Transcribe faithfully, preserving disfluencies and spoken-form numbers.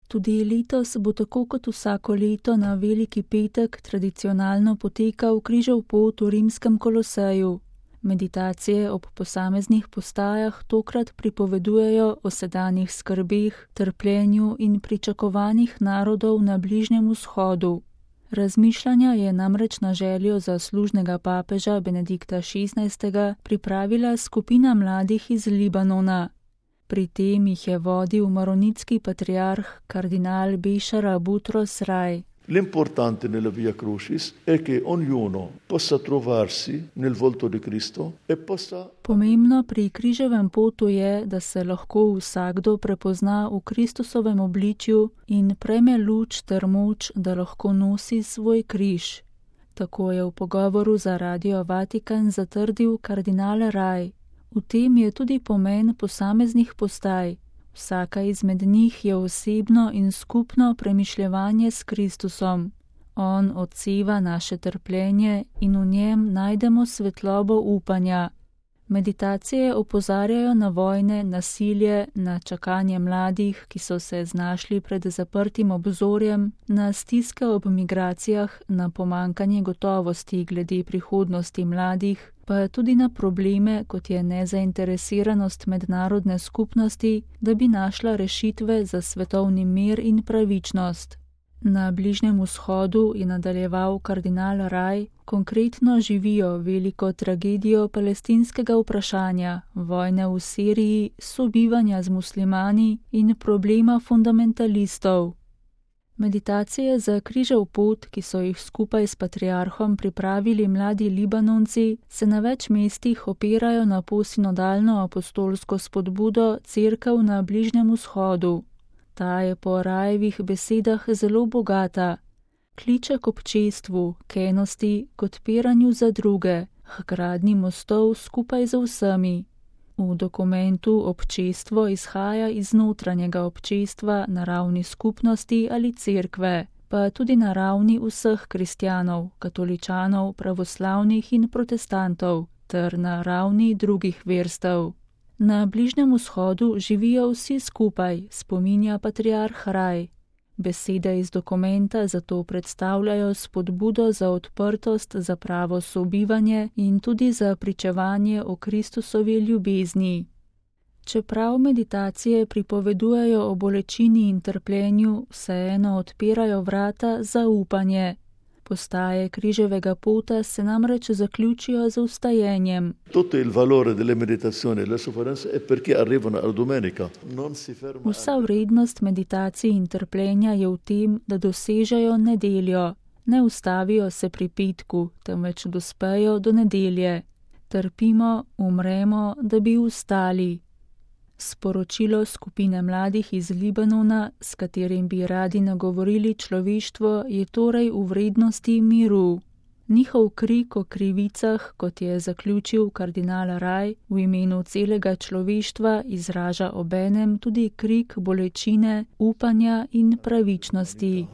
Tudi letos bo tako kot vsako leto na Veliki petek tradicionalno potekal križev pot v rimskem Koloseju. Meditacije ob posameznih postajah tokrat pripovedujejo o sedanjih skrbeh, trpljenju in pričakovanjih narodov na Bližnjem vzhodu. Razmišljanja je namreč na željo zaslužnega papeža Benedikta šestnajstega pripravila skupina mladih iz Libanona. Pri tem jih je vodil maronitski patriarh kardinal Bešara Butros Raj. L'importante nella Via Crucis è che ognuno possa trovarsi nel volto di Cristo e possa... Pomembno pri križevem potu je, da se lahko vsakdo prepozna v Kristusovem obličju in prejme luč ter moč, da lahko nosi svoj križ. Tako je v pogovoru za Radio Vatikan zatrdil kardinal Raj. V tem je tudi pomen posameznih postaj. Vsaka izmed njih je osebno in skupno premišljevanje s Kristusom. On odseva naše trpljenje in v njem najdemo svetlobo upanja. Meditacije opozarjajo na vojne, nasilje, na čakanje mladih, ki so se znašli pred zaprtim obzorjem, na stiske ob migracijah, na pomankanje gotovosti glede prihodnosti mladih, pa tudi na probleme, kot je nezainteresiranost mednarodne skupnosti, da bi našla rešitve za svetovni mir in pravičnost. Na Bližnjem vzhodu, je nadaljeval kardinal Raj, konkretno živijo veliko tragedijo palestinskega vprašanja, vojne v Siriji, sobivanja z muslimani in problema fundamentalistov. Meditacije za križev pot, ki so jih skupaj s patriarhom pripravili mladi Libanonci, se na več mestih opirajo na posinodalno apostolsko spodbudo Cerkev na Bližnjem vzhodu. Ta je po Rajevih besedah zelo bogata. Kliče k občestvu, k enosti, k odpiranju za druge, k gradnji mostov skupaj z vsemi. V dokumentu občestvo izhaja iz notranjega občestva na ravni skupnosti ali cerkve, pa tudi na ravni vseh kristjanov, katoličanov, pravoslavnih in protestantov, ter na ravni drugih verstev. Na Bližnjem vzhodu živijo vsi skupaj, spominja patriarh Raj. Besede iz dokumenta zato predstavljajo spodbudo za odprtost, za pravo sobivanje in tudi za pričevanje o Kristusovi ljubezni. Čeprav meditacije pripovedujejo o bolečini in trpljenju, vseeno odpirajo vrata za upanje. Postaje križevega pota se namreč zaključijo z vstajenjem. Vsa vrednost meditacij in trpljenja je v tem, da dosežejo nedeljo. Ne ustavijo se pri petku, temveč dospejo do nedelje. Trpimo, umremo, da bi vstali. Sporočilo skupine mladih iz Libanona, s katerim bi radi nagovorili človeštvo, je torej v vrednosti miru. Njihov krik o krivicah, kot je zaključil kardinal Raj, v imenu celega človeštva izraža obenem tudi krik bolečine, upanja in pravičnosti.